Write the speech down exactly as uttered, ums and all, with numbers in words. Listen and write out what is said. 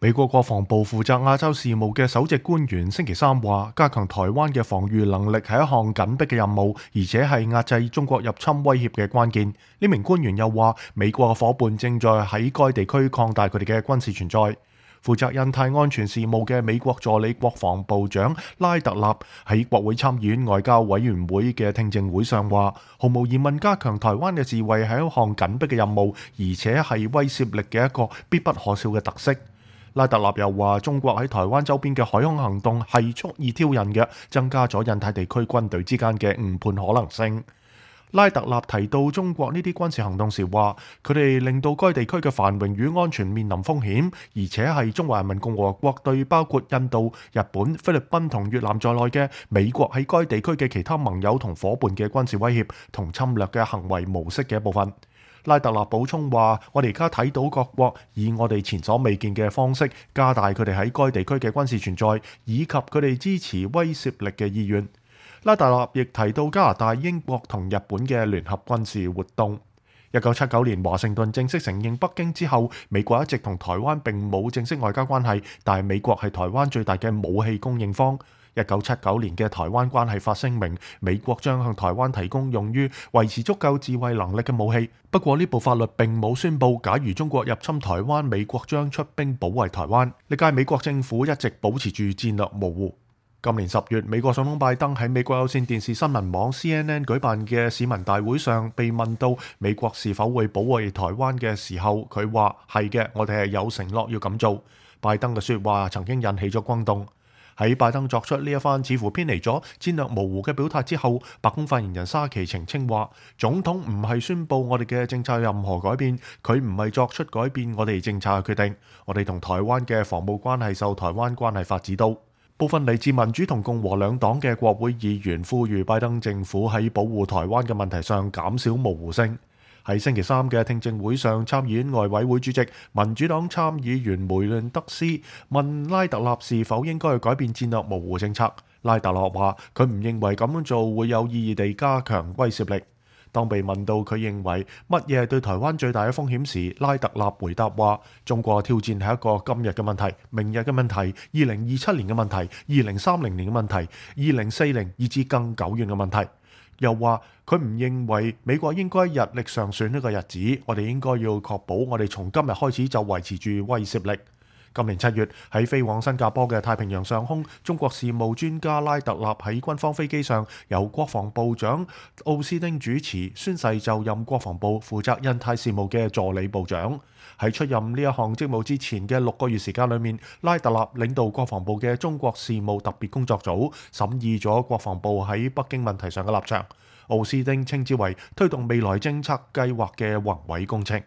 美國國防部負責亞洲事務嘅首席官員星期三話，加強台灣嘅防禦能力係一項緊迫嘅任務，而且係壓制中國入侵威脅嘅關鍵。呢名官員又話，美國嘅夥伴正在喺該地區擴大佢哋嘅軍事存在。負責印太安全事務嘅美國助理國防部長拉特納喺國會參議院外交委員會嘅聽證會上話，毫無疑問加強台灣嘅自衛係一項緊迫嘅任務，而且係威懾力嘅一個必不可少嘅特色。拉特納又話，中國喺台灣周邊嘅海空行動係蓄意挑釁嘅，增加咗印太地區軍隊之間嘅誤判可能性。拉特納提到中國呢啲軍事行動時話，佢哋令到該地區嘅繁榮與安全面臨風險，而且係中華人民共和國對包括印度、日本、菲律賓同越南在內嘅美國喺該地區嘅其他盟友同夥伴嘅軍事威脅同侵略嘅行為模式嘅一部分。拉特納補充話，我哋而家睇到各國以我哋前所未見嘅方式加大佢哋喺該地區嘅軍事存在，以及佢哋支持威懾力嘅意願。拉特納亦提到加拿大、英國同日本嘅聯合軍事活動。一九七九年華盛頓正式承認北京之後，美國一直同台灣並冇正式外交關係，但係美國係台灣最大嘅武器供應方。一九七九年嘅台灣關係法聲明，美國將向台灣提供用於維持足夠自衛能力嘅武器。不過呢部法律並冇宣布，假如中國入侵台灣，美國將出兵保衛台灣。歷屆美國政府一直保持住戰略模糊。今年十月，美國總統拜登喺美國有線電視新聞網 C N N 舉辦嘅市民大會上，被問到美國是否會保衛台灣嘅時候，佢話係嘅，我哋係有承諾要咁做。拜登嘅說話曾經引起咗轟動。喺拜登作出呢一番似乎偏離咗戰略模糊嘅表態之後，白宮發言人沙奇澄清話，總統唔係宣布我哋嘅政策任何改變，佢唔係作出改變我哋政策嘅決定。我哋同台灣嘅防務關係受台灣關係法指導。部分嚟自民主同共和兩黨嘅國會議員呼籲拜登政府喺保護台灣嘅問題上減少模糊性。喺星期三嘅聽證會上，參議院外委會主席民主黨參議員梅倫德斯問拉特納是否應該去改變戰略模糊政策。拉特納話佢唔認為咁樣做會有意義地加強威懾力。當被問到佢認為乜嘢係對台灣最大嘅風險時，拉特納回答話：中國挑戰係一個今日嘅問題、明日嘅問題、二零二七年嘅問題、二零三零年嘅問題、二零四零以至更久遠嘅問題。又話佢唔認為美國應該日曆上選呢個日子，我哋應該要確保我哋從今日開始就維持住威懾力。今年七月喺飛往新加坡嘅太平洋上空，中國事務專家拉特納喺軍方飛機上由國防部長奧斯汀主持宣誓就任國防部負責印太事務嘅助理部長。喺出任呢一項職務之前嘅六個月時間裏面，拉特納領導國防部嘅中國事務特別工作組審議咗國防部喺北京問題上嘅立場。奧斯汀稱之為推動未來政策計劃嘅宏偉工程。